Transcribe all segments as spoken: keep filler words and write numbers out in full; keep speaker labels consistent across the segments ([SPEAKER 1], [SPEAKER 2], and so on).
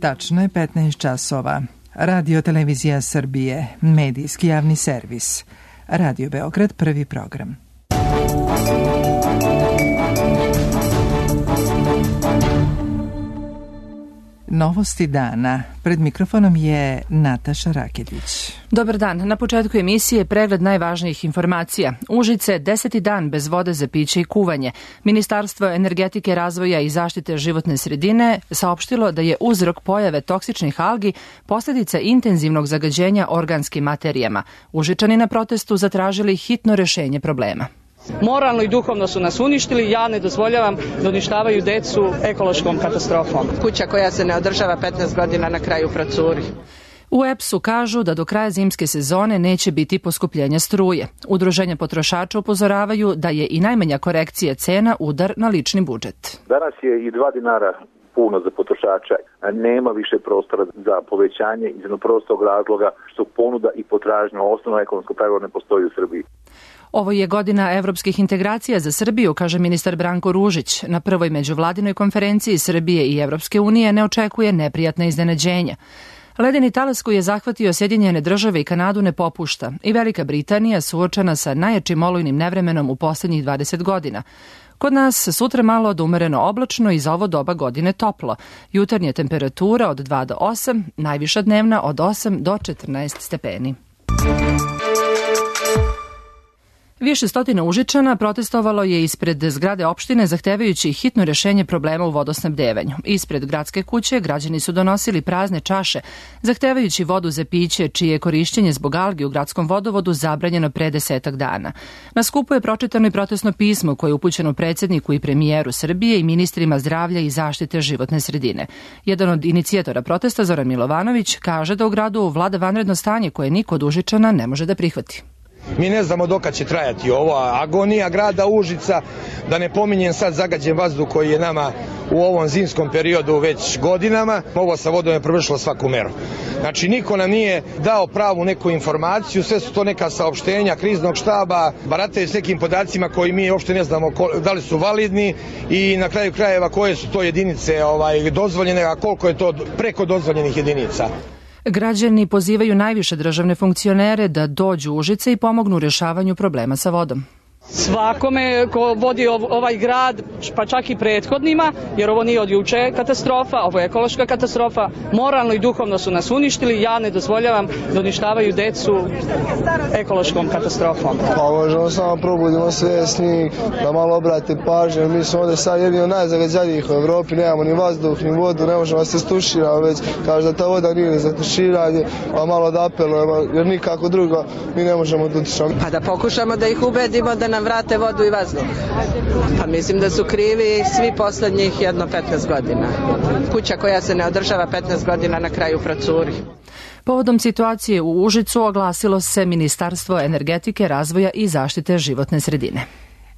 [SPEAKER 1] Tačno je petnaest časova. Radio Televizija Srbije, medijski javni servis. Radio Beograd, prvi program. Novosti dana. Pred mikrofonom je Nataša Raketić.
[SPEAKER 2] Dobar dan. Na početku emisije pregled najvažnijih informacija. Užice, deseti dan bez vode za piće i kuvanje. Ministarstvo energetike, razvoja i zaštite životne sredine saopštilo da je uzrok pojave toksičnih algi posljedica intenzivnog zagađenja organskim materijama. Užičani na protestu zatražili hitno rešenje problema.
[SPEAKER 3] Moralno i duhovno su nas uništili, ja ne dozvoljavam da uništavaju decu ekološkom katastrofom.
[SPEAKER 4] Kuća koja se ne održava petnaest godina na kraju procuri.
[SPEAKER 2] U E P S-u kažu da do kraja zimske sezone neće biti poskupljenja struje. Udruženja potrošača upozoravaju da je i najmanja korekcija cena udar na lični budžet.
[SPEAKER 5] Danas je i dva dinara puno za potrošača. Nema više prostora za povećanje iz jednog prostog razloga što ponuda i potražnja, osnovno ekonomsko pravilo, ne postoji u Srbiji.
[SPEAKER 2] Ovo je godina evropskih integracija za Srbiju, kaže ministar Branko Ružić. Na prvoj međuvladinoj konferenciji Srbije i Evropske unije ne očekuje neprijatna iznenađenja. Ledeni talas koji je zahvatio Sjedinjene države i Kanadu ne popušta i Velika Britanija suočena sa najjačim olujnim nevremenom u posljednjih dvadeset godina. Kod nas sutra malo od umereno oblačno i za ovo doba godine toplo. Jutarnja temperatura od dva do osam, najviša dnevna od osam do četrnaest stepeni. Više stotina Užičana protestovalo je ispred zgrade opštine zahtevajući hitno rešenje problema u vodosnabdevanju. Ispred gradske kuće građani su donosili prazne čaše, zahtevajući vodu za piće, čije je korišćenje zbog algi u gradskom vodovodu zabranjeno pre desetak dana. Na skupu je pročitano i protestno pismo koje je upućeno predsjedniku i premijeru Srbije i ministrima zdravlja i zaštite životne sredine. Jedan od inicijatora protesta, Zoran Milovanović, kaže da u gradu vlada vanredno stanje koje niko od Užičana ne može da prihvati.
[SPEAKER 6] Mi ne znamo dokad će trajati ova agonija grada Užica, da ne pominjem sad zagađen vazduh koji je nama u ovom zimskom periodu već godinama. Ovo sa vodom je prevršilo svaku meru. Znači, niko nam nije dao pravu neku informaciju, sve su to neka saopštenja kriznog štaba, barataju s nekim podacima koji mi uopšte ne znamo da li su validni i na kraju krajeva koje su to jedinice ovaj, dozvoljene, a koliko je to preko dozvoljenih jedinica.
[SPEAKER 2] Građani pozivaju najviše državne funkcionere da dođu u Užice i pomognu u rješavanju problema sa vodom.
[SPEAKER 3] Svakome ko vodi ovaj grad, pa čak i prethodnima, jer ovo nije od juče katastrofa, ovo je ekološka katastrofa, moralno i duhovno su nas uništili, ja ne dozvoljavam da uništavaju decu ekološkom katastrofom.
[SPEAKER 7] Pa možemo samo probudimo svjesni, da malo obrate pažnju, mi smo ovdje sad jedni od najzagađenijih u Evropi, nemamo ni vazduh, ni vodu, ne možemo se stuširati, već kaže da ta voda nije za tuširanje, pa malo da apelujemo, jer nikako drugo mi ne možemo da utišamo.
[SPEAKER 4] Pa da pokušamo da ih ubedimo da nam vrate vodu i vazduh. Pa mislim da su krivi svi poslednjih jedno petnaest godina. Kuća koja se ne održava petnaest godina na kraju procuri.
[SPEAKER 2] Povodom situacije u Užicu oglasilo se Ministarstvo energetike, razvoja i zaštite životne sredine.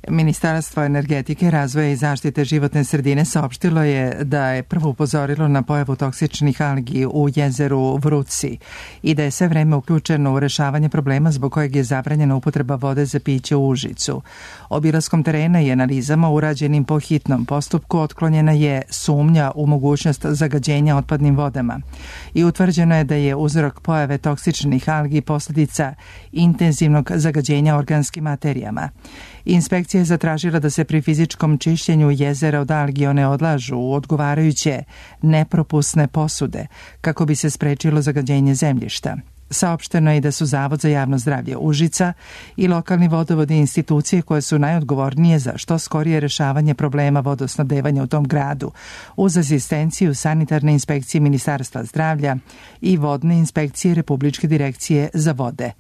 [SPEAKER 1] Ministarstvo energetike, razvoja i zaštite životne sredine saopštilo je da je prvo upozorilo na pojavu toksičnih algi u jezeru Vrútsi i da je sve vreme uključeno u rešavanje problema zbog kojeg je zabranjena upotreba vode za piće u Užicu. Obilaskom terena i analizama urađenim po hitnom postupku otklonjena je sumnja u mogućnost zagađenja otpadnim vodama i utvrđeno je da je uzrok pojave toksičnih algi posljedica intenzivnog zagađenja organskim materijama. Inspekcija je zatražila da se pri fizičkom čišćenju jezera od algi one odlažu u odgovarajuće nepropusne posude kako bi se sprečilo zagađenje zemljišta. Saopšteno je da su Zavod za javno zdravlje Užica i lokalni vodovodi i institucije koje su najodgovornije za što skorije rešavanje problema vodosnabdevanja u tom gradu, uz asistenciju sanitarne inspekcije Ministarstva zdravlja i vodne inspekcije Republičke direkcije za vode.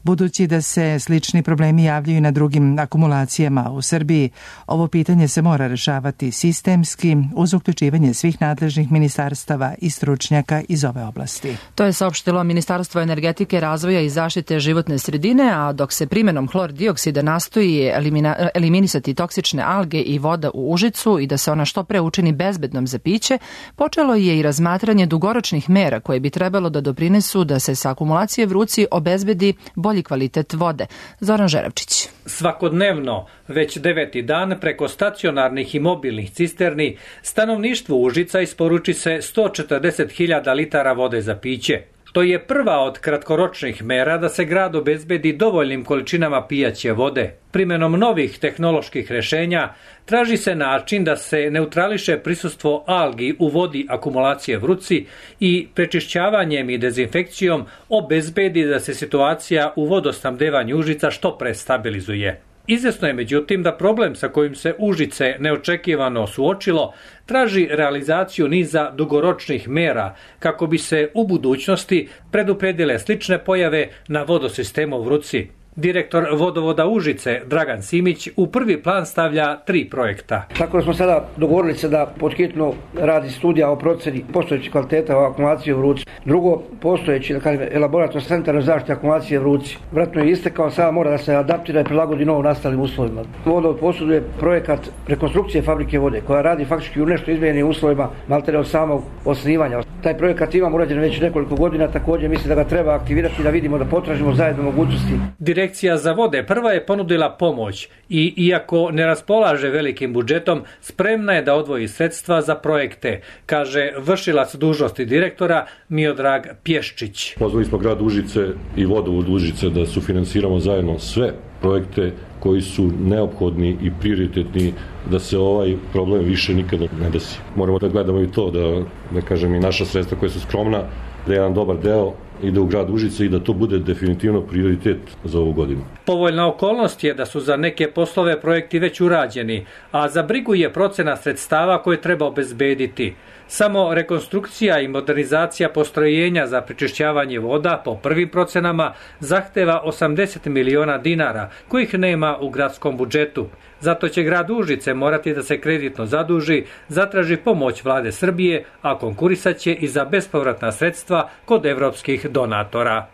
[SPEAKER 1] Budući da se slični problemi javljaju na drugim akumulacijama u Srbiji, ovo pitanje se mora rešavati sistemski uz uključivanje svih nadležnih ministarstava i stručnjaka iz ove oblasti.
[SPEAKER 2] To je saopštilo Ministarstvo energetike, razvoja i zaštite životne sredine, a dok se primjenom hlor dioksida nastoji elimina, eliminisati toksične alge i voda u Užicu i da se ona što pre učini bezbednom za piće, počelo je i razmatranje dugoročnih mera koje bi trebalo da doprinesu da se sa akumulacije Vrútsi obezbedi bolje bolji kvalitet vode. Zoran Žeravčić.
[SPEAKER 8] Svakodnevno, već deveti dan, preko stacionarnih i mobilnih cisterni, stanovništvu Užica isporuči se sto četrdeset hiljada litara vode za piće. To je prva od kratkoročnih mera da se grad obezbedi dovoljnim količinama pijaće vode. Primjenom novih tehnoloških rješenja traži se način da se neutrališe prisustvo algi u vodi akumulacije Vruci i prečišćavanjem i dezinfekcijom obezbedi da se situacija u vodosnabdevanju Užica što pre stabilizuje. Izvjesno je međutim da problem sa kojim se Užice neočekivano suočilo traži realizaciju niza dugoročnih mera kako bi se u budućnosti predupredile slične pojave na vodosistemu Vruci. Direktor vodovoda Užice, Dragan Simić, u prvi plan stavlja tri projekta.
[SPEAKER 9] Tako da smo sada dogovorili se da podhitno radi studija o procjeni postojećih kvaliteta o akumulaciji u Vruci. Drugo, postojeći, da kažem, elaborator centara zaštite akumulacije Vruci. Vratno je istekao, sada mora da se adaptira i prilagodi novo nastalim uslovima. Vodovod posjeduje projekat rekonstrukcije fabrike vode, koja radi faktički u nešto izmijenjenim uslovima, maltene od samog osnivanja. Taj projekat imamo urađen već nekoliko godina, također mislim da ga treba aktivirati da vidimo da potražimo zajedno mogućnosti.
[SPEAKER 8] Direkcija za vode prva je ponudila pomoć i, iako ne raspolaže velikim budžetom, spremna je da odvoji sredstva za projekte, kaže vršilac dužnosti direktora Miodrag Pješčić.
[SPEAKER 10] Pozvali smo grad Užice i vodovod Užice da sufinansiramo zajedno sve projekte koji su neophodni i prioritetni da se ovaj problem više nikada ne desi. Moramo da gledamo i to, da, da kažem, i naša sredstva koja su skromna, da je jedan dobar deo ide u grad Užice i da to bude definitivno prioritet za ovu godinu.
[SPEAKER 8] Povoljna okolnost je da su za neke poslove projekti već urađeni, a za brigu je procena sredstava koje treba obezbediti. Samo rekonstrukcija i modernizacija postrojenja za prečišćavanje voda po prvim procenama zahteva osamdeset miliona dinara, kojih nema u gradskom budžetu. Zato će grad Užice morati da se kreditno zaduži, zatraži pomoć vlade Srbije, a konkurisat će i za bespovratna sredstva kod evropskih donatora.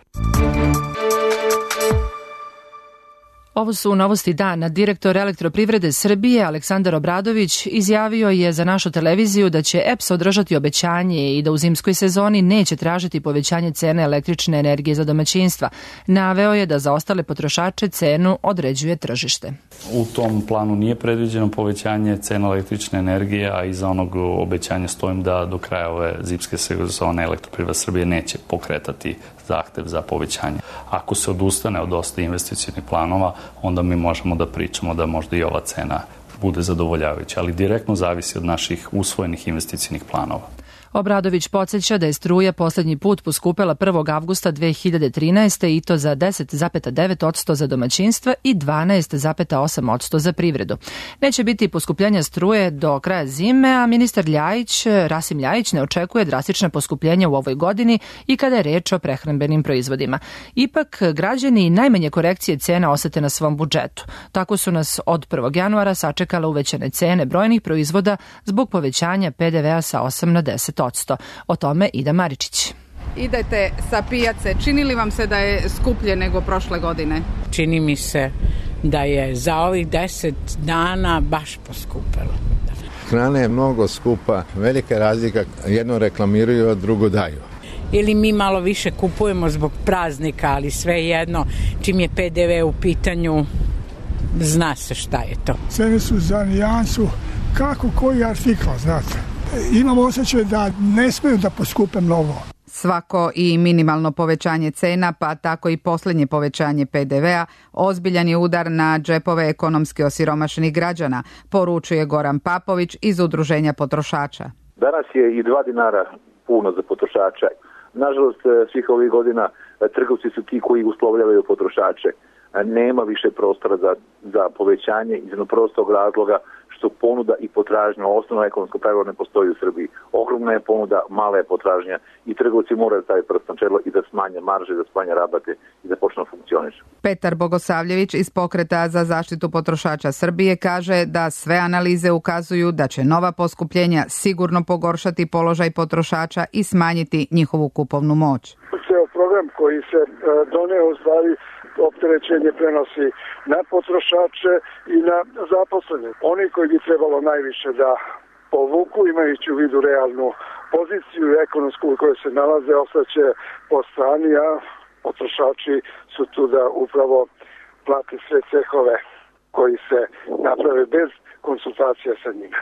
[SPEAKER 2] Ovo su novosti dana. Direktor Elektroprivrede Srbije Aleksandar Obradović izjavio je za našu televiziju da će E P S održati obećanje i da u zimskoj sezoni neće tražiti povećanje cene električne energije za domaćinstva. Naveo je da za ostale potrošače cenu određuje tržište.
[SPEAKER 11] U tom planu nije predviđeno povećanje cena električne energije, a iza onog obećanja stojim da do kraja ove zimske sezone Elektroprivreda Srbije neće pokretati zahtev za povećanje. Ako se odustane od dosta investicionih planova, onda mi možemo da pričamo da možda i ova cena bude zadovoljavajuća, ali direktno zavisi od naših usvojenih investicionih planova.
[SPEAKER 2] Obradović podsjeća da je struja posljednji put poskupela prvog avgusta dve hiljade trinaeste. i to za deset zarez devet posto za domaćinstva i dvanaest zarez osam posto za privredu. Neće biti poskupljenja struje do kraja zime, a ministar Ljajić, Rasim Ljajić ne očekuje drastična poskupljenja u ovoj godini i kada je reč o prehrambenim proizvodima. Ipak, građani najmanje korekcije cena osete na svom budžetu. Tako su nas od prvog januara sačekale uvećane cene brojnih proizvoda zbog povećanja P D V-a sa osam na deset posto. O tome Ida Maričić.
[SPEAKER 12] Idete sa pijace, čini li vam se da je skuplje nego prošle godine?
[SPEAKER 13] Čini mi se da je za ovih deset dana baš poskupelo.
[SPEAKER 14] Hrana je mnogo skupa, velika razlika, jedno reklamiraju, a drugo daju.
[SPEAKER 13] Ili mi malo više kupujemo zbog praznika, ali sve jedno, čim je P D V u pitanju, zna se šta je to.
[SPEAKER 15] Cene su za nijansu kako koji artikl, znate. Imamo osjećaj da ne smiju da poskupe mnogo.
[SPEAKER 12] Svako i minimalno povećanje cena, pa tako i posljednje povećanje P D V-a, ozbiljan je udar na džepove ekonomski osiromašenih građana, poručuje Goran Papović iz Udruženja potrošača.
[SPEAKER 5] Danas je i dva dinara puno za potrošača. Nažalost, svih ovih godina trgovci su ti koji uslovljavaju potrošače. Nema više prostora za, za povećanje iz jednog prostog razloga što ponuda i potražnja, osnovno ekonomsko pravilo ne postoji u Srbiji. Ogromna je ponuda, mala je potražnja i trgovci moraju staviti prst na čelo i da smanje marže, da smanje rabate i da počnu funkcionišu.
[SPEAKER 12] Petar Bogosavljević iz Pokreta za zaštitu potrošača Srbije kaže da sve analize ukazuju da će nova poskupljenja sigurno pogoršati položaj potrošača i smanjiti njihovu kupovnu moć.
[SPEAKER 16] Ceo program koji se doneo u stvari opterećenje prenosi na potrošače i na zaposlene. Oni koji bi trebalo najviše da povuku, imajući u vidu realnu poziciju ekonomsku u kojoj se nalaze, ostaće po strani, a potrošači su tu da upravo plate sve cehove koji se naprave bez konsultacija sa njima.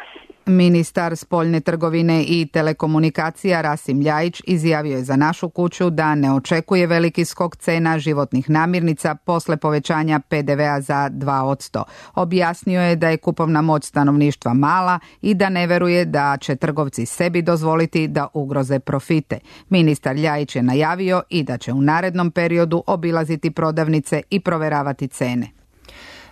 [SPEAKER 12] Ministar spoljne trgovine i telekomunikacija Rasim Ljajić izjavio je za Našu kuću da ne očekuje veliki skok cena životnih namirnica posle povećanja pe de vea za dva posto. Objasnio je da je kupovna moć stanovništva mala i da ne veruje da će trgovci sebi dozvoliti da ugroze profite. Ministar Ljajić je najavio i da će u narednom periodu obilaziti prodavnice i proveravati cene.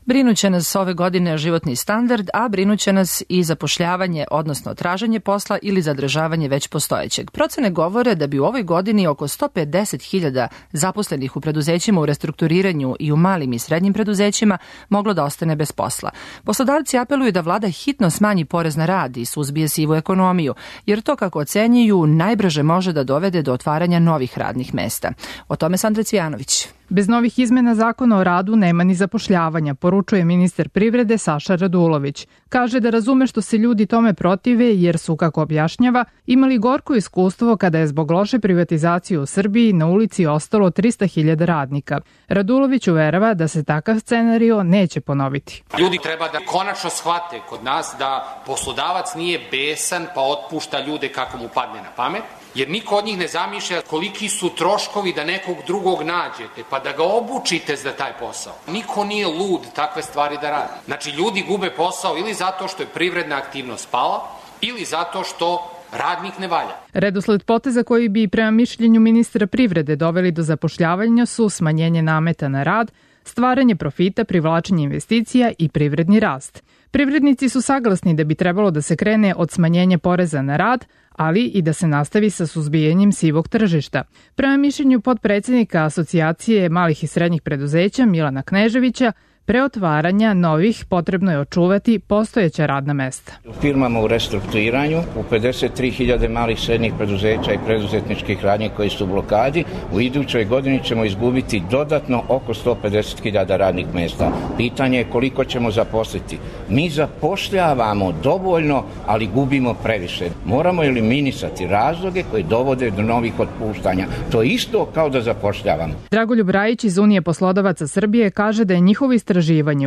[SPEAKER 2] Brinuće nas ove godine životni standard, a brinuće nas i zapošljavanje, odnosno traženje posla ili zadržavanje već postojećeg. Procene govore da bi u ovoj godini oko sto pedeset hiljada zaposlenih u preduzećima u restrukturiranju i u malim i srednjim preduzećima moglo da ostane bez posla. Poslodavci apeluju da vlada hitno smanji porez na rad i suzbije sivu ekonomiju, jer to, kako ocenjuju, najbrže može da dovede do otvaranja novih radnih mesta. O tome Sandra Cvijanović.
[SPEAKER 17] Bez novih izmena zakona o radu nema ni zapošljavanja, poručuje ministar privrede Saša Radulović. Kaže da razume što se ljudi tome protive jer su, kako objašnjava, imali gorko iskustvo kada je zbog loše privatizacije u Srbiji na ulici ostalo trista hiljada radnika. Radulović uverava da se takav scenario neće ponoviti.
[SPEAKER 18] Ljudi treba da konačno shvate kod nas da poslodavac nije besan pa otpušta ljude kako mu padne na pamet, jer niko od njih ne zamišlja koliki su troškovi da nekog drugog nađete, pa da ga obučite za taj posao. Niko nije lud takve stvari da radi. Znači, ljudi gube posao ili zato što je privredna aktivnost pala, ili zato što radnik ne valja.
[SPEAKER 17] Redosled poteza koji bi prema mišljenju ministra privrede doveli do zapošljavanja su smanjenje nameta na rad, stvaranje profita, privlačenje investicija i privredni rast. Privrednici su saglasni da bi trebalo da se krene od smanjenja poreza na rad, ali i da se nastavi sa suzbijanjem sivog tržišta. Prema mišljenju potpredsjednika Asocijacije malih i srednjih preduzeća Milana Kneževića, pre otvaranja novih potrebno je očuvati postojeća radna mesta.
[SPEAKER 19] U firmama u restrukturiranju, u pedeset tri hiljade malih srednjih preduzeća i preduzetničkih radnji koji su u blokadi, u idućoj godini ćemo izgubiti dodatno oko sto pedeset hiljada radnih mesta. Pitanje je koliko ćemo zaposliti. Mi zapošljavamo dovoljno, ali gubimo previše. Moramo eliminisati razloge koji dovode do novih otpuštanja. To je isto kao da zapošljavamo.
[SPEAKER 17] Dragoljub Rajić iz Unije poslodavaca Srbije kaže da je njihovo istraživanje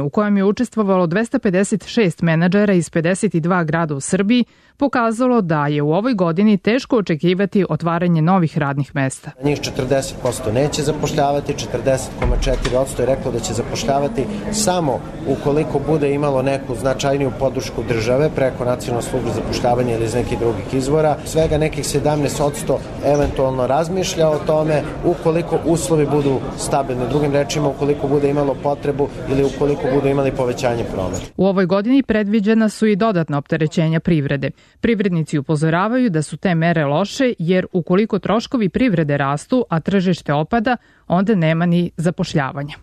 [SPEAKER 17] u kojem je učestvovalo dvesta pedeset šest menadžera iz pedeset dva grada u Srbiji pokazalo da je u ovoj godini teško očekivati otvaranje novih radnih mesta.
[SPEAKER 20] Njih četrdeset posto neće zapošljavati, četrdeset zarez četiri posto je reklo da će zapošljavati samo ukoliko bude imalo neku značajniju podršku države preko nacionalnog službe zapošljavanja ili iz nekih drugih izvora. Svega nekih sedamnaest posto eventualno razmišlja o tome ukoliko uslovi budu stabilni. Drugim rečima, ukoliko bude imalo potrebu ili ukoliko budu imali povećanje prometa.
[SPEAKER 17] U ovoj godini predviđena su i dodatna opterećenja privrede. Privrednici upozoravaju da su te mere loše jer ukoliko troškovi privrede rastu, a tržište opada, onda nema ni zapošljavanja.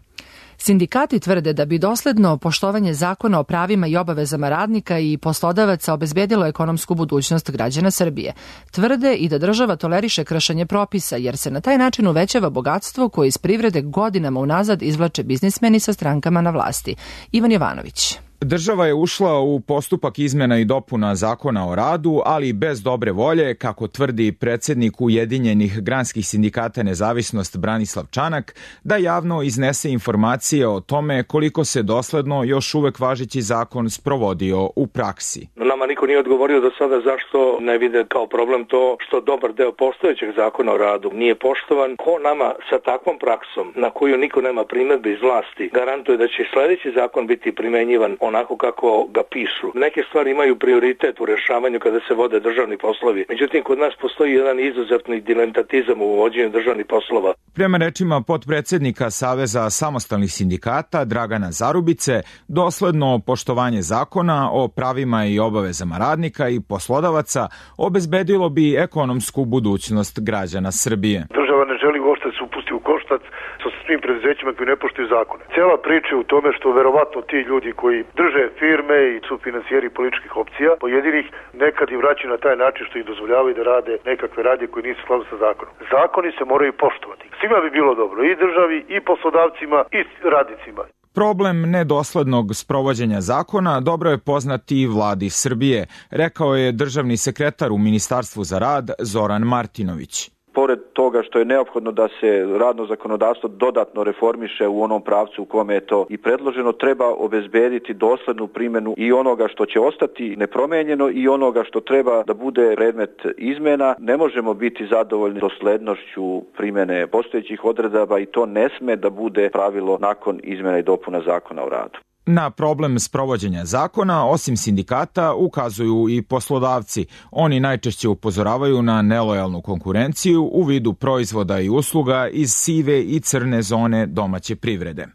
[SPEAKER 2] Sindikati tvrde da bi dosledno poštovanje zakona o pravima i obavezama radnika i poslodavaca obezbedilo ekonomsku budućnost građana Srbije. Tvrde i da država toleriše kršenje propisa, jer se na taj način uvećava bogatstvo koje iz privrede godinama unazad izvlače biznismeni sa strankama na vlasti. Ivan Jovanović.
[SPEAKER 21] Država je ušla u postupak izmena i dopuna zakona o radu, ali bez dobre volje, kako tvrdi predsjednik Ujedinjenih granskih sindikata Nezavisnost Branislav Čanak, da javno iznese informacije o tome koliko se dosledno još uvek važeći zakon sprovodio u praksi.
[SPEAKER 22] Nama niko nije odgovorio do sada zašto ne vide kao problem to što dobar deo postojećeg zakona o radu nije poštovan. Ko nama sa takvom praksom, na koju niko nema primedbe iz vlasti, garantuje da će sledeći zakon biti primenjivan onako kako ga pišu. Neke stvari imaju prioritet u rešavanju kada se vode državni poslovi. Međutim, kod nas postoji jedan izuzetni diletatizam u vođenju državnih poslova.
[SPEAKER 21] Prema rečima potpredsednika Saveza samostalnih sindikata Dragana Zarubice, dosledno poštovanje zakona o pravima i obavezama radnika i poslodavaca obezbedilo bi ekonomsku budućnost građana Srbije.
[SPEAKER 23] Država ne želi uopšte se upusti u koštac sa svim preduzećima koji ne poštuju zakone. Cela priča je u tome što verovatno ti ljudi koji drže firme i su finansijeri političkih opcija, pojedinih nekad i vraćaju na taj način što ih dozvoljavaju da rade nekakve radnje koji nisu u skladu sa zakonom. Zakoni se moraju poštovati. Svima bi bilo dobro, i državi, i poslodavcima, i radnicima.
[SPEAKER 21] Problem nedoslednog sprovođenja zakona dobro je poznati i vladi Srbije, rekao je državni sekretar u Ministarstvu za rad Zoran Martinović.
[SPEAKER 3] pored toga što je neophodno da se radno zakonodavstvo dodatno reformiše u onom pravcu u kome je to i predloženo, treba obezbediti doslednu primjenu i onoga što će ostati nepromenjeno i onoga što treba da bude predmet izmena. Ne možemo biti zadovoljni doslednošću primjene postojećih odredaba i to ne sme da bude pravilo nakon izmjena i dopuna zakona o radu.
[SPEAKER 21] Na problem sprovođenja zakona, osim sindikata, ukazuju i poslodavci. Oni najčešće upozoravaju na nelojalnu konkurenciju u vidu proizvoda i usluga iz sive i crne zone domaće privrede.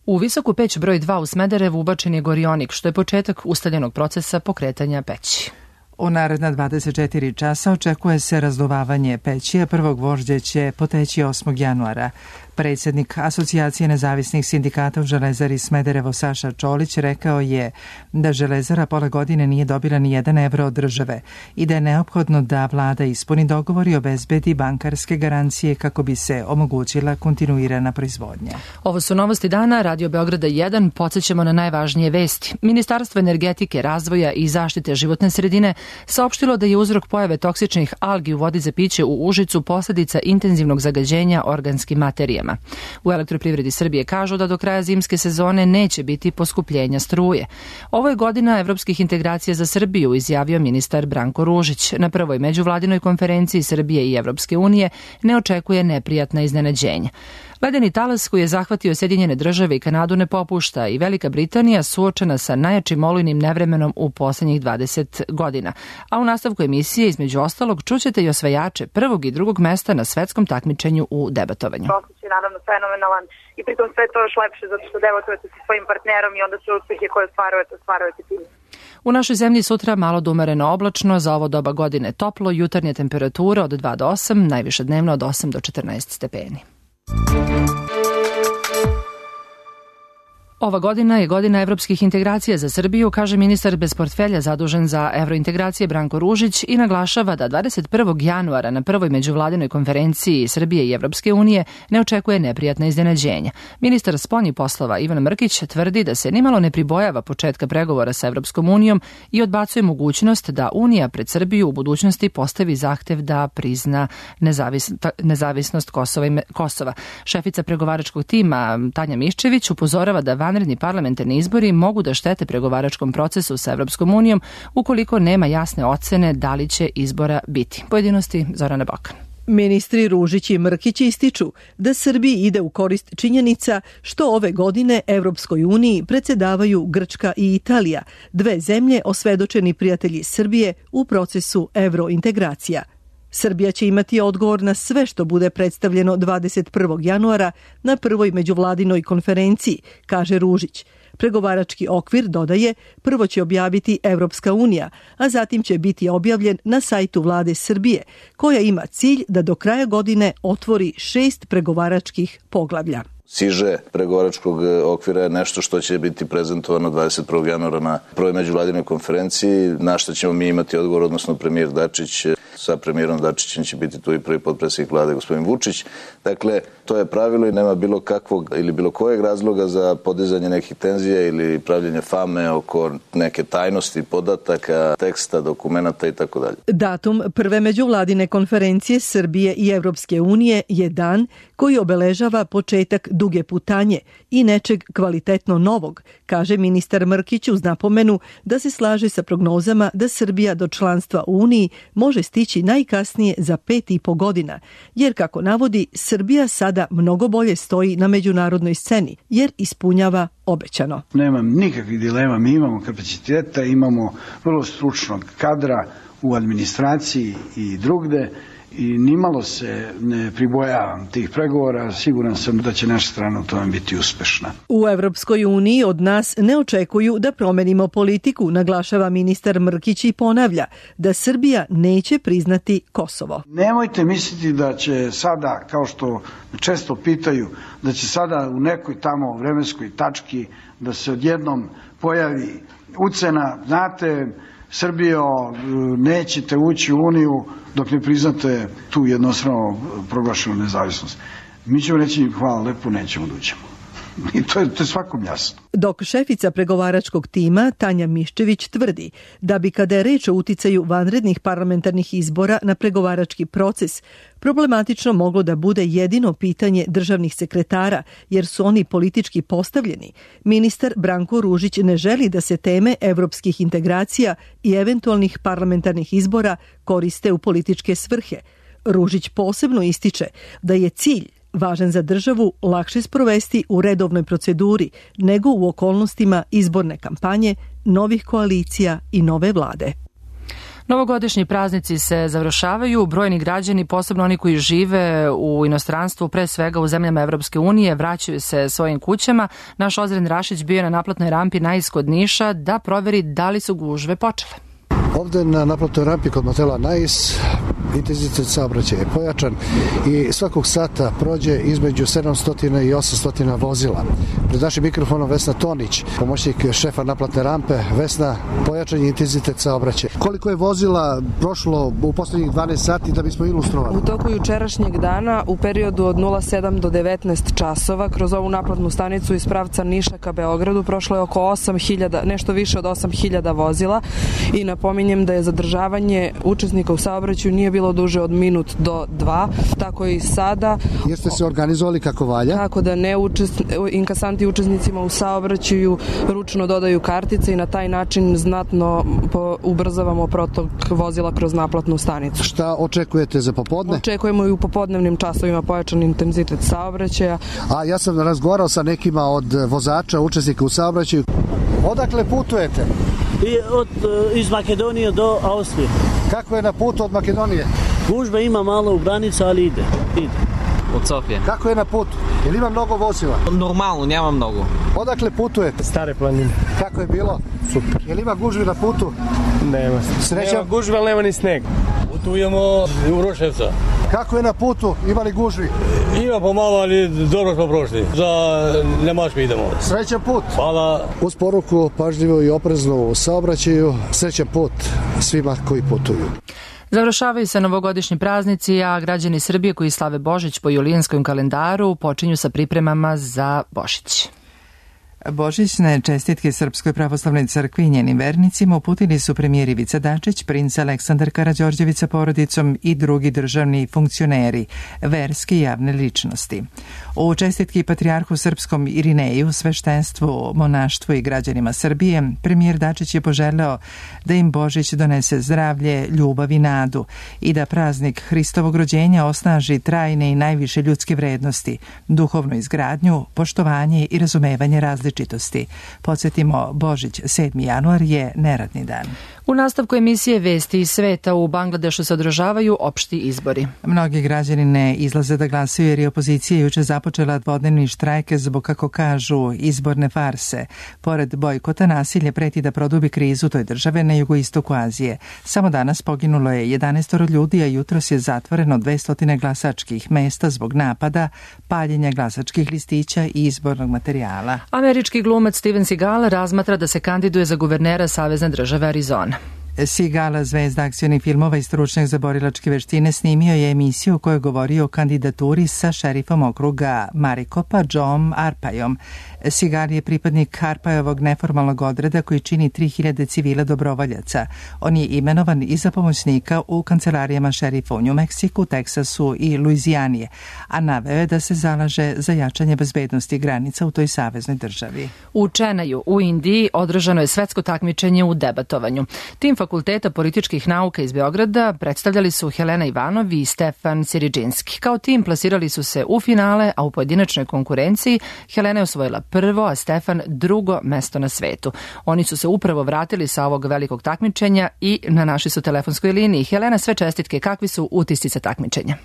[SPEAKER 2] U Visoku peć broj dva u Smederevu ubačen je gorionik, što je početak ustaljenog procesa pokretanja peći.
[SPEAKER 1] U naredna dvadeset četiri časa očekuje se razduvavanje peći, a prvog gvožđe će poteći osmog januara. Predsjednik Asocijacije nezavisnih sindikata u Železari Smederevo Saša Čolić rekao je da Železara pola godine nije dobila ni jedan evro od države i da je neophodno da vlada ispuni dogovor i obezbedi bankarske garancije kako bi se omogućila kontinuirana proizvodnja.
[SPEAKER 2] Ovo su novosti dana, Radio Beograda jedan, podsjećamo na najvažnije vesti. Ministarstvo energetike, razvoja i zaštite životne sredine saopštilo da je uzrok pojave toksičnih algi u vodi za piće u Užicu posledica intenzivnog zagađenja organskim materijama. U Elektroprivredi Srbije kažu da do kraja zimske sezone neće biti poskupljenja struje. Ovo je godina evropskih integracija za Srbiju, izjavio ministar Branko Ružić. Na prvoj međuvladinoj konferenciji Srbije i Evropske unije ne očekuje neprijatna iznenađenja. Ledeni talas koji je zahvatio Sjedinjene države i Kanadu ne popušta i Velika Britanija suočena sa najjačim olujnim nevremenom u posljednjih dvadeset godina. A u nastavku emisije, između ostalog, čućete i osvajače prvog i drugog mesta na svetskom takmičenju u debatovanju.
[SPEAKER 6] Osjećaj je naravno fenomenalan i pritom sve to još lepše zato što debatujete sa svojim partnerom i onda sve uspjehe koje ostvarujete, ostvarujete tim.
[SPEAKER 2] U našoj zemlji sutra malo do umereno oblačno, za ovo doba godine toplo, jutarnje temperature od dva do osam, najviše dnevno od osam do četrnaest stepeni. Ova godina je godina evropskih integracija za Srbiju, kaže ministar bez portfelja zadužen za evrointegracije Branko Ružić i naglašava da dvadeset prvog januara na prvoj međuvladinoj konferenciji Srbije i Evropske unije ne očekuje neprijatna iznenađenja. Ministar spoljnih poslova Ivan Mrkić tvrdi da se nimalo ne pribojava početka pregovora sa Evropskom unijom i odbacuje mogućnost da Unija pred Srbiju u budućnosti postavi zahtev da prizna nezavis, nezavisnost Kosova, Kosova. Šefica pregovaračkog tima Tanja Miščević upozorava da vanredni parlamentarni izbori mogu da štete pregovaračkom procesu sa Evropskom unijom ukoliko nema jasne ocene da li će izbora biti. Pojedinosti Zorana Bokan.
[SPEAKER 7] Ministri Ružić i Mrkić ističu da Srbiji ide u korist činjenica što ove godine Evropskoj uniji predsjedavaju Grčka i Italija, dve zemlje osvedočeni prijatelji Srbije u procesu evrointegracija. Srbija će imati odgovor na sve što bude predstavljeno dvadeset prvog januara na prvoj međuvladinoj konferenciji, kaže Ružić. Pregovarački okvir, dodaje, prvo će objaviti Evropska unija, a zatim će biti objavljen na sajtu vlade Srbije, koja ima cilj da do kraja godine otvori šest pregovaračkih poglavlja.
[SPEAKER 24] Siže pregovaračkog okvira je nešto što će biti prezentovano dvadeset prvog januara na prvoj međuvladinoj konferenciji, na što ćemo mi imati odgovor, odnosno premijer Dačić. Sa premijerom Dačićem će biti tu i prvi potpredsjednik vlade gospodin Vučić. Dakle, to je pravilo i nema bilo kakvog ili bilo kojeg razloga za podizanje nekih tenzija ili pravljenje fame oko neke tajnosti podataka, teksta, dokumenata i tako dalje.
[SPEAKER 7] Datum prve međuvladine konferencije Srbije i Evropske unije je dan koji obeležava početak duge putanje i nečeg kvalitetno novog, kaže ministar Mrkić uz napomenu da se slaže sa prognozama da Srbija do članstva u Uniji može stići najkasnije za pet i po godina, jer kako navodi, Srbija sada mnogo bolje stoji na međunarodnoj sceni, jer ispunjava obećano.
[SPEAKER 25] Nemam nikakvih dilema, mi imamo kapaciteta, imamo vrlo stručnog kadra u administraciji i drugde i nimalo se ne pribojavam tih pregovora, siguran sam da će naša strana u tome biti uspešna.
[SPEAKER 7] U Evropskoj uniji od nas ne očekuju da promenimo politiku, naglašava ministar Mrkić i ponavlja da Srbija neće priznati Kosovo.
[SPEAKER 25] Nemojte misliti da će sada, kao što često pitaju, da će sada u nekoj tamo vremenskoj tački da se odjednom pojavi ucena, znate, Srbijo, nećete ući u Uniju dok ne priznate tu jednostrano proglašenu nezavisnost. Mi ćemo reći hvala lepo, nećemo da uđemo. I to je, to je svakom jasno.
[SPEAKER 7] Dok šefica pregovaračkog tima Tanja Miščević tvrdi da bi kada je reč o uticaju vanrednih parlamentarnih izbora na pregovarački proces, problematično moglo da bude jedino pitanje državnih sekretara, jer su oni politički postavljeni, ministar Branko Ružić ne želi da se teme evropskih integracija i eventualnih parlamentarnih izbora koriste u političke svrhe. Ružić posebno ističe da je cilj važan za državu lakše sprovesti u redovnoj proceduri nego u okolnostima izborne kampanje, novih koalicija i nove vlade.
[SPEAKER 2] Novogodišnji praznici se završavaju, brojni građani, posebno oni koji žive u inostranstvu, pre svega u zemljama Evropske unije, vraćaju se svojim kućama. Naš Ozren Rašić bio je na naplatnoj rampi naisk od Niša da proveri da li su gužve počele.
[SPEAKER 4] Ovde na naplatnoj rampi kod motela Nais intenzitet saobraćaja je pojačan i svakog sata prođe između sedamsto i osamsto vozila. Pred našim mikrofonom Vesna Tonić, pomoćnik šefa naplatne rampe. Vesna, pojačan je intenzitet saobraćaja. Koliko je vozila prošlo u poslednjih dvanaest sati da bismo ilustrovali?
[SPEAKER 8] U toku jučerašnjeg dana u periodu od nula sedam do devetnaest časova kroz ovu naplatnu stanicu iz pravca Niša ka Beogradu prošlo je oko osam hiljada, nešto više od osam hiljada vozila i napominjem da je zadržavanje učesnika u saobraćaju nije bilo duže od minut do dva, tako i sada.
[SPEAKER 4] Jeste se organizovali kako valja?
[SPEAKER 8] Tako da ne učest, inkasanti učesnicima u saobraćaju ručno dodaju kartice i na taj način znatno po, ubrzavamo protok vozila kroz naplatnu stanicu.
[SPEAKER 4] Šta očekujete za popodne?
[SPEAKER 8] Očekujemo i u popodnevnim časovima pojačan intenzitet saobraćaja.
[SPEAKER 4] A ja sam razgovarao sa nekima od vozača, učesnika u saobraćaju. Odakle putujete?
[SPEAKER 9] I od, iz Makedonije do Austrije.
[SPEAKER 4] Kako je na putu od Makedonije?
[SPEAKER 9] Gužba ima malo u granicu, ali ide. ide.
[SPEAKER 10] Od Sofije.
[SPEAKER 4] Kako je na putu? Jel ima mnogo vozila?
[SPEAKER 10] Normalno, nema mnogo.
[SPEAKER 4] Odakle putujete?
[SPEAKER 9] Stare planine.
[SPEAKER 4] Kako je bilo?
[SPEAKER 9] Super.
[SPEAKER 4] Jel ima gužvi na putu?
[SPEAKER 9] Nema.
[SPEAKER 4] Sreća?
[SPEAKER 9] Nema gužve, ali nema ni sneg. Putujemo u Roševca.
[SPEAKER 4] Kako je na putu? Ima li gužvi?
[SPEAKER 9] Ima pomalo, ali dobro smo prošli. Za Nemačku idemo.
[SPEAKER 4] Srećan put.
[SPEAKER 9] Hvala.
[SPEAKER 4] Uz poruku pažljivo i oprezno u saobraćaju. Srećan put svima koji putuju.
[SPEAKER 2] Završavaju se novogodišnji praznici, a građani Srbije koji slave Božić po julijanskom kalendaru počinju sa pripremama za Božić.
[SPEAKER 1] Božićne čestitke Srpskoj pravoslavnoj crkvi i njenim vernicima uputili su premijer Ivica Dačić, princ Aleksandar Karađorđević sa porodicom i drugi državni funkcioneri, verske i javne ličnosti. U čestitki patrijarhu srpskom Irineju, sveštenstvu, monaštvu i građanima Srbije, premijer Dačić je poželeo da im Božić donese zdravlje, ljubav i nadu i da praznik Hristovog rođenja osnaži trajne i najviše ljudske vrednosti, duhovnu izgradnju, poštovanje i razumevanje različitosti. Podsjetimo, Božić sedmi januar je neradni dan.
[SPEAKER 2] U nastavku emisije Vesti iz sveta u Bangladešu se održavaju opšti izbori.
[SPEAKER 1] Mnogi građani ne izlaze da glasaju jer je opozicija juče započela dvodnevni štrajk zbog, kako kažu, izborne farse. Pored bojkota, nasilje preti da produbi krizu toj države na jugoistoku Azije. Samo danas poginulo je jedanaest ljudi, a jutros je zatvoreno dvesta glasačkih mesta zbog napada, paljenja glasačkih listića i izbornog materijala.
[SPEAKER 2] Američki glumac Steven Seagal razmatra da se kandiduje za guvernera Savezne države Arizona.
[SPEAKER 1] Seagal, zvezda akcionih filmova i stručnjak za borilačke veštine, snimio je emisiju u kojoj govori o kandidaturi sa šerifom okruga Maricopa, Johnom Arpajom. Seagal je pripadnik Arpajovog neformalnog odreda koji čini tri hiljade civila dobrovoljaca. On je imenovan i za pomoćnika u kancelarijama šerifa u New Meksiku, Teksasu i Luizijani, a naveo je da se zalaže za jačanje bezbednosti granica u toj saveznoj državi.
[SPEAKER 2] U Čenaju, u Indiji, održano je svetsko takmičenje u debatovanju. Tim Fakulteta političkih nauka iz Beograda predstavljali su Helena Ivanov i Stefan Siriđinski. Kao tim plasirali su se u finale, a u pojedinačnoj konkurenciji Helena je osvojila prvo, a Stefan drugo mesto na svetu. Oni su se upravo vratili sa ovog velikog takmičenja i na našoj su telefonskoj liniji. Helena, sve čestitke, kakvi su utisci sa takmičenja?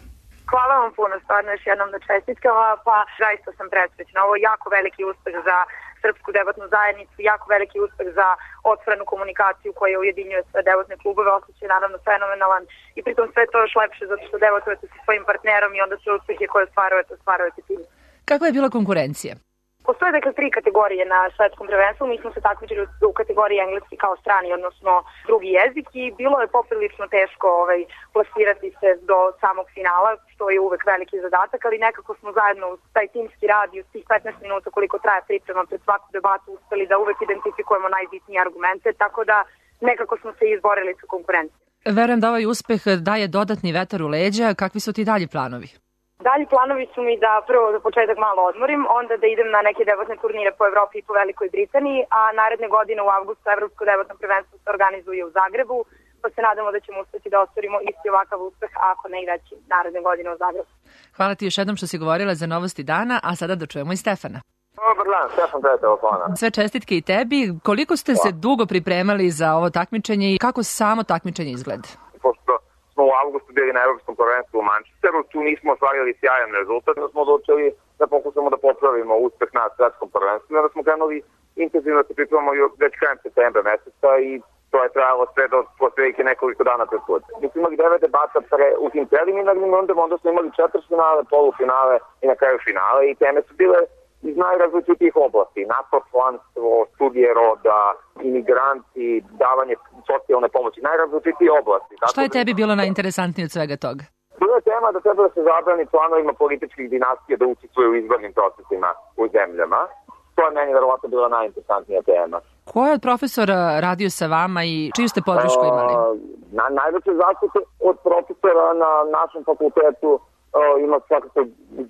[SPEAKER 6] Hvala vam puno, stvarno još jednom da čestitkama, pa zaista sam presrećna. Ovo je jako veliki uspeh za srpsku debatnu zajednicu, jako veliki uspeh za otvorenu komunikaciju koja ujedinjuje sve debatne klubove, osjećaj je naravno fenomenalan i pritom sve to još lepše zato što debatujete sa svojim partnerom i onda sve uspjehe koje ostvarujete, ostvarujete tim.
[SPEAKER 2] Kakva je bila konkurencija?
[SPEAKER 6] Postoje dakle tri kategorije na svetskom prvenstvu, mi smo se takmičili u kategoriji engleski kao strani, odnosno drugi jezik i bilo je poprilično teško ovaj, plasirati se do samog finala, što je uvek veliki zadatak, ali nekako smo zajedno uz taj timski rad i uz tih petnaest minuta koliko traje priprema pred svaku debatu uspeli da uvek identifikujemo najbitnije argumente, tako da nekako smo se izborili sa konkurencijom.
[SPEAKER 2] Verujem da ovaj uspeh daje dodatni vetar u leđa, kakvi su ti dalji planovi?
[SPEAKER 6] Dalji planovi su mi da prvo za početak malo odmorim, onda da idem na neke debatne turnire po Evropi i po Velikoj Britaniji, a naredne godine u avgustu Evropsko debatno prvenstvo se organizuje u Zagrebu, pa se nadamo da ćemo uspeti da ostvarimo isti ovakav uspeh, ako ne i veći naredne godine u Zagrebu.
[SPEAKER 2] Hvala ti još jednom što si govorila za novosti dana, a sada da čujemo i Stefana.
[SPEAKER 5] Dobar dan, Stefan Tete telefona.
[SPEAKER 2] Sve čestitke i tebi. Koliko ste se dugo pripremali za ovo takmičenje i kako samo takmičenje izgleda?
[SPEAKER 5] Pošto smo u avgustu bili na Evropskom prvenstvu u Manchesteru, tu nismo ostvarili sjajan rezultat, da smo odlučili da pokušamo da popravimo uspeh na svetskom prvenstvu, da smo krenuli intenzivno da se pripremamo već krajem septembra meseca i to je trajalo sve do poslednjih nekoliko dana pred put. Mi smo imali devet debata pre, u tim preliminarnim rundama, onda smo imali četvrtfinale, polufinale i na kraju finale i teme su bile iz najrazličitijih oblasti, napotlanstvo, studije roda, imigranti, davanje socijalne pomoći, najrazličitije oblasti.
[SPEAKER 2] Šta je tebi bilo najinteresantnije od svega toga?
[SPEAKER 5] Bila je tema da treba da se zabrani članovima političkih dinastija da učestvuju u izbornim procesima u zemljama. To je meni verovatno bila najinteresantnija tema.
[SPEAKER 2] Ko je od profesora radio sa vama i čiju ste podršku imali?
[SPEAKER 5] Na, najveće zaštite od profesora na našem fakultetu Uh, ima svakako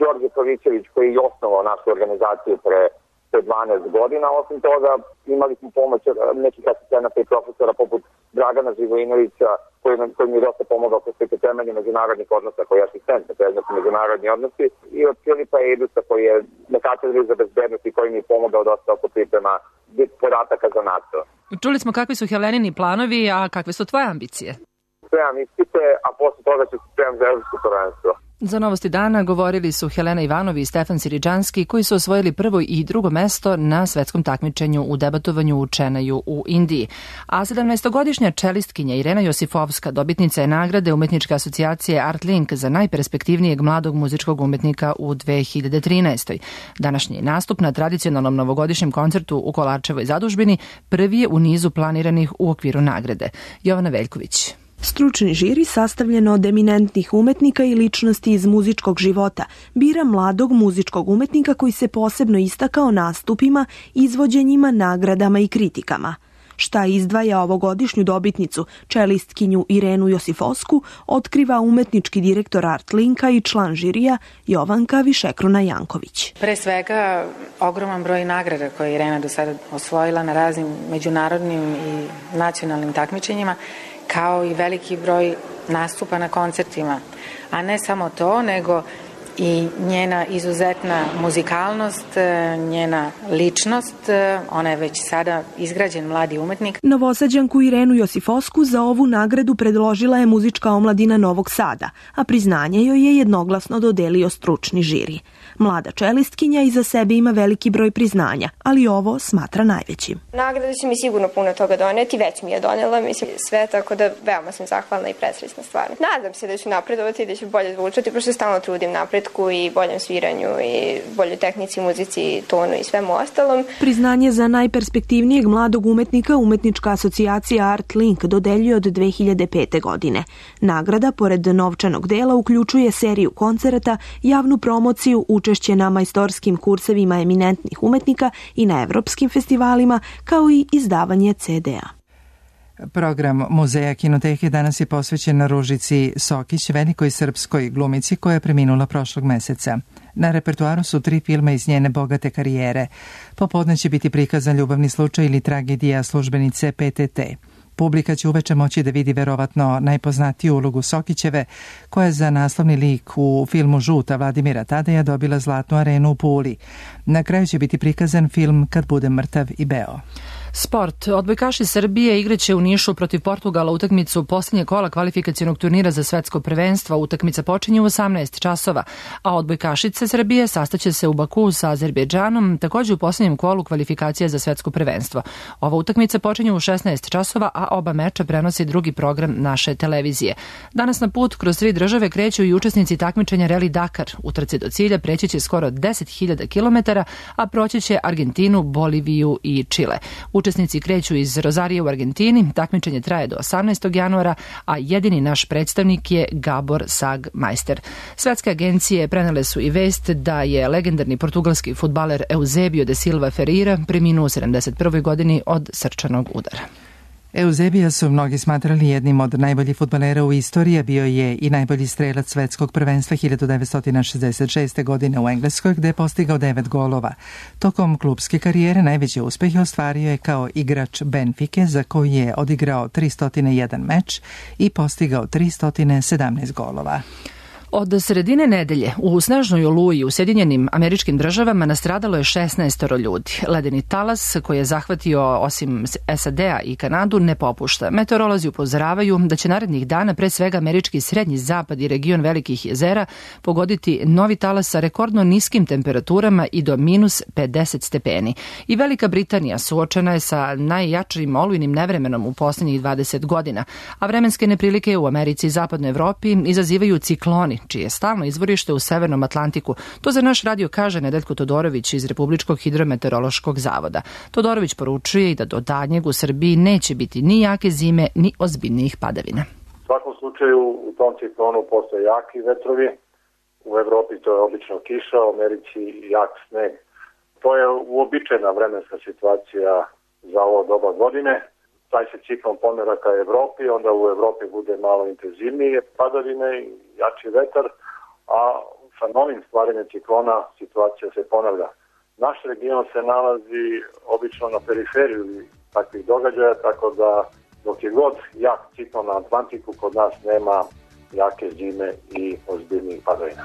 [SPEAKER 5] Đorđe Pavićević koji je osnovao našu organizaciju pre, pre dvanaest godina. Osim toga imali smo pomoć nekih asistenata i profesora poput Dragana Živojinovića koji, koji mi je dosta pomogao kroz sve temelje međunarodnih odnosa, koji je asistent na predmetu međunarodni odnosi i od Filipa Edusa koji je na katedri za bezbednost i koji mi je pomogao dosta oko priprema podataka za NATO.
[SPEAKER 2] Čuli smo kakvi su Helenini planovi, a kakve su tvoje ambicije?
[SPEAKER 5] Spremam ispite, a posle toga ću se spremam za evropsko prvenstvo.
[SPEAKER 2] Za novosti dana govorili su Helena Ivanovi i Stefan Siriđanski koji su osvojili prvo i drugo mesto na svetskom takmičenju u debatovanju u Čenaju u Indiji. A sedamnaestogodišnja čelistkinja Irena Josifovska dobitnica je nagrade Umetničke asocijacije Artlink za najperspektivnijeg mladog muzičkog umetnika u dve hiljade trinaestoj. Današnji nastup na tradicionalnom novogodišnjem koncertu u Kolarčevoj zadužbini prvi je u nizu planiranih u okviru nagrade. Jovana Veljković.
[SPEAKER 11] Stručni žiri sastavljen od eminentnih umetnika i ličnosti iz muzičkog života bira mladog muzičkog umetnika koji se posebno istakao nastupima, izvođenjima, nagradama i kritikama. Šta izdvaja ovogodišnju dobitnicu, čelistkinju Irenu Josifovsku, otkriva umetnički direktor Artlinka i član žirija Jovanka Višekruna Janković.
[SPEAKER 13] Pre svega, ogroman broj nagrada koje je Irena do sada osvojila na raznim međunarodnim i nacionalnim takmičenjima, kao i veliki broj nastupa na koncertima. A ne samo to, nego i njena izuzetna muzikalnost, njena ličnost, ona je već sada izgrađen mladi umetnik.
[SPEAKER 11] Novosađanku Irenu Josifovsku za ovu nagradu predložila je muzička omladina Novog Sada, a priznanje joj je jednoglasno dodelio stručni žiri. Mlada čelistkinja iza sebe ima veliki broj priznanja, ali ovo smatra najvećim.
[SPEAKER 14] Nagrada će mi sigurno puno toga doneti, već mi je donela, mislim, sve, tako da veoma sam zahvalna i presrećna stvarno. Nadam se da ću napredovati i da ću bolje zvučati, pošto stalno trudim napretku i boljem sviranju i boljoj tehnici, muzici, tonu i svemu ostalom.
[SPEAKER 11] Priznanje za najperspektivnijeg mladog umetnika Umetnička asocijacija Artlink dodeljuje od dve hiljade pete. godine. Nagrada, pored novčanog dela, uključuje seriju koncerata, javnu promociju, učešće na majstorskim kursevima eminentnih umetnika i na evropskim festivalima, kao i izdavanje ce de a.
[SPEAKER 1] Program Muzeja kinoteke danas je posvećen Ružici Sokić, velikoj srpskoj glumici koja je preminula prošlog meseca. Na repertuaru su tri filma iz njene bogate karijere. Popodne će biti prikazan ljubavni slučaj ili tragedija službenice pe te te. Publika će uveče moći da vidi verovatno najpoznatiju ulogu Sokićeve, koja je za naslovni lik u filmu Žuta Vladimira Tadeja dobila Zlatnu arenu u Puli. Na kraju će biti prikazan film Kad budem mrtav i beo.
[SPEAKER 2] Sport. Odbojkaši Srbije igraće u Nišu protiv Portugala utakmicu posljednje kola kvalifikacionog turnira za svetsko prvenstvo. Utakmica počinje u osamnaest časova, a odbojkašice Srbije sastaće se u Baku sa Azerbejdžanom, također u posljednjem kolu kvalifikacija za svetsko prvenstvo. Ova utakmica počinje u šesnaest časova, a oba meča prenosi drugi program naše televizije. Danas na put kroz tri države kreću i učesnici takmičenja Rally Dakar. U trci do cilja preći će skoro deset hiljada kilometara, a proći će Argentinu, Boliviju i Čile. Učesnici kreću iz Rozarija u Argentini, takmičenje traje do osamnaestog januara, a jedini naš predstavnik je Gabor Sagmeister. Svetske agencije prenele su i vest da je legendarni portugalski fudbaler Eusebio de Silva Ferreira preminuo u sedamdeset prvoj godini od srčanog udara.
[SPEAKER 1] Eusebija su mnogi smatrali jednim od najboljih fudbalera u istoriji, bio je i najbolji strelac svetskog prvenstva hiljadu devetsto šezdeset šeste. godine u Engleskoj, gde je postigao devet golova. Tokom klupske karijere najveće uspehe ostvario je kao igrač Benfike, za koji je odigrao tristo jedan meč i postigao tristo sedamnaest golova.
[SPEAKER 2] Od sredine nedelje u snažnoj oluji u Sjedinjenim Američkim Državama nastradalo je šesnaest ljudi. Ledeni talas koji je zahvatio osim S A D-a i Kanadu ne popušta. Meteorolozi upozoravaju da će narednih dana pre svega američki srednji zapad i region Velikih jezera pogoditi novi talas sa rekordno niskim temperaturama i do minus pedeset stepeni. I Velika Britanija suočena je sa najjačim olujnim nevremenom u posljednjih dvadeset godina, a vremenske neprilike u Americi i zapadnoj Evropi izazivaju cikloni, čije je stalno izvorište u Severnom Atlantiku. To za naš radio kaže Nedeljko Todorović iz Republičkog hidrometeorološkog zavoda. Todorović poručuje i da do daljnjeg u Srbiji neće biti ni jake zime, ni ozbiljnijih padavina.
[SPEAKER 12] U svakom slučaju u tom ciklonu postoje jaki vetrovi. U Evropi to je obično kiša, u Americi jak sneg. To je uobičajena vremenska situacija za ovo doba godine. Taj se ciklon pomera ka Evropi, onda u Evropi bude malo intenzivnije padavine i jači vetar, a sa novim stvaranjem ciklona situacija se ponavlja. Naš region se nalazi obično na periferiju takvih događaja, tako da dok je god jak ciklon na Atlantiku, kod nas nema jake zime i ozbiljnih padavina.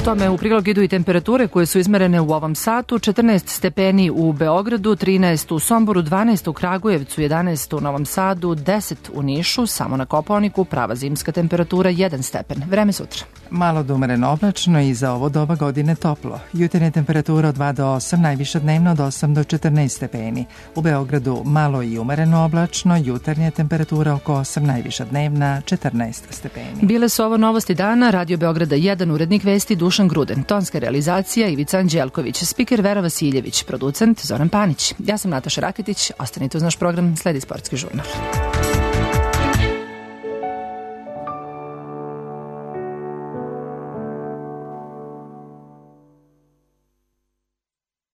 [SPEAKER 2] Tome u prilog idu i temperature koje su izmerene u ovom satu. četrnaest stepeni u Beogradu, trinaest u Somboru, dvanaest u Kragujevcu, jedanaest u Novom Sadu, deset u Nišu, samo na Kopaoniku prava zimska temperatura jedan stepen. Vreme sutra.
[SPEAKER 1] Malo do umereno oblačno i za ovo doba godine toplo. Jutarnja temperatura od dva do osam, najviša dnevno od osam do četrnaest stepeni. U Beogradu malo i umereno oblačno, jutarnja temperatura oko osam, najviša dnevna četrnaest stepeni.
[SPEAKER 2] Bile su ovo novosti dana, Radio Beograda jedan, urednik vesti Dušan Gruden, tonska realizacija Ivica Anđelković, spiker Vera Vasiljević, producent Zoran Panić. Ja sam Nataša Raketić, ostanite uz naš program, sledi Sportski žurnal.